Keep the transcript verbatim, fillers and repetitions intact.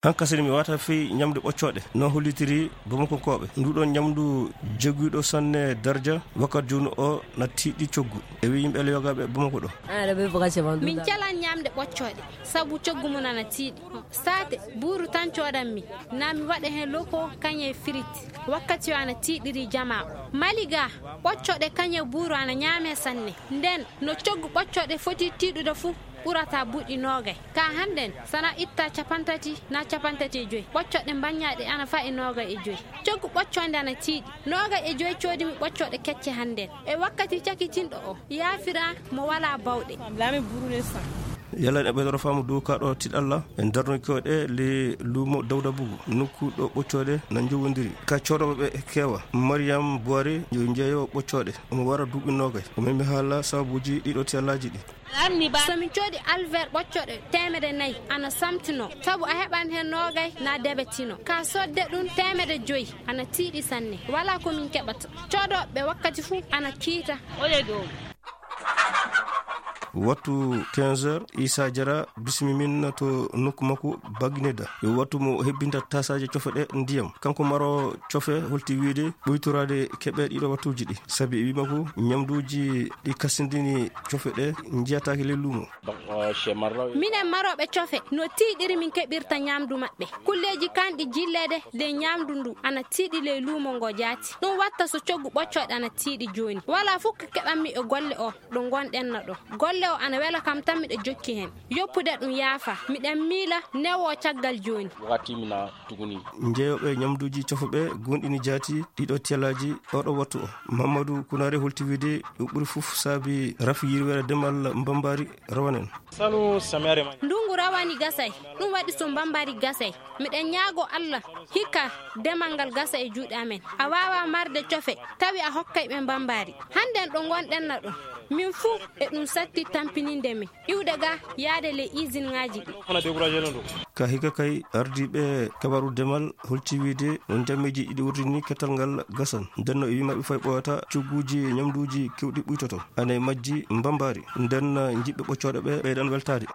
Hankasini mi wata fii ñamde ɓoccooɗe, no hollitiri Bamakonkooɓe. Nduɗon ñamdu jogiiɗo sanne darja, wakkati jooni o na tiiɗi coggu. E wi yimɓe Allah yogaaɓe Bamako ɗo. Min calan ñamde ɓoccooɗe, sabu coggu mum ana tiiɗi. Saate, buuru tan coodan mi, na mi waɗa heen loko kañe firit. Wakkati o ana tiiɗiri jamaa o. Mali ga, ɓoccooɗe kañe buuru ana ñaame sanne. Nden, no coggu ɓoccooɗe foti tiiɗude fu, ɓurata buuɗi noogay. Ka hannden, sana itta capantati na capantati e joy. Ɓoccooɗe mbaññaaɗe ana fa'i noogay e joy. Coggu ɓoccoonde ana tiiɗi. Noogay e joy coodimi ɓoccooɗe kecce hannden. E wakkati cakitinɗo o, yaafira mo walaa bawɗe. Yalan e ɓeydoro faamu dow kaɗo tiɗalla. En darnoki o ɗe le luumo Dawda Bugu. Nokku ɗo ɓoccooɗe na njowondiri. Ka coodooɓe ɓe kewa. Mariam Buwari yo jeeyo ɓoccooɗe. Omo wara duuɓi noogay. O memi haala sababuuji ɗiɗo tiyallaaji ɗi. So min coodi alver ɓoccooɗe teemedde nayi, ana samtino, sabu a heɓan heen noogay na debetino. Ka sodde ɗum teemedde joyi, ana tiiɗi sanne. Walaa ko min keɓata. Coodooɓe wakkati fuu ana kiita. Wattu quinze heures, Isa Jara bismi min to nokku makko Bagneda. Yo wattu mo hebbinta tasaaje cofe ɗe ndiyam. Kanko maro cofe holti wiide ɓoytoraade keɓe ɗiɗo wattuuji ɗi. Sabi e wi makko, ñamduuji ɗi kasindini cofe ɗe njiyataake ley luumo. Minen marooɓe cofe, no tiiɗiri min keɓirta ñamdu maɓɓe. Kulleeji kanɗi jilleede ley ñamdu ndu ana tiiɗi ley luumo ngo jaati. Ɗum watta so coggu ɓoccooɗe ana tiiɗi jooni. Walaa fof ko keɓanmi e golle o ɗo ngonɗen na ɗo. Golle o ana wela kam tan miɗo jokki heen. Yoppude ɗum yaafa. Miɗen miila newo caggal jooni. Wakati mina tuguni. Njeeyooɓe ñamduuji cofe ɓe gonɗini jaati ɗiɗo tiyalaaji oɗo wattu o. Mamadou Kounaré holti wiide ɗum ɓuri fof saabi rafi yirwere demal Mbambaari rawanen. Sanu samere ma. Ndungu rawani gasay. Ɗum waɗi so Mbambaari gasay. Miɗen ñaago Allah hikka demal ngal gasa e juuɗe amen. A waawa marde cofe, tawi a hokkay ɓe Mbambaari. Hannden ɗo ngonɗen na ɗo. Min fuu e ɗum satti tampininde min. Iwde ga yaade ley isinŋaaji ɗi. Ka hikka kay ardiiɓe kabaru demal holti wiide ɗum jammeeji ɗiɗi wurdini kettal ngal gasan. Nden no e wi maɓɓe fay ɓooyata cogguuji ñamduuji kewɗi ɓuytoto. Ana e majji Mbambaari. Nden jiɓɓe ɓoccooɗe ɓe ɓeydan weltaade.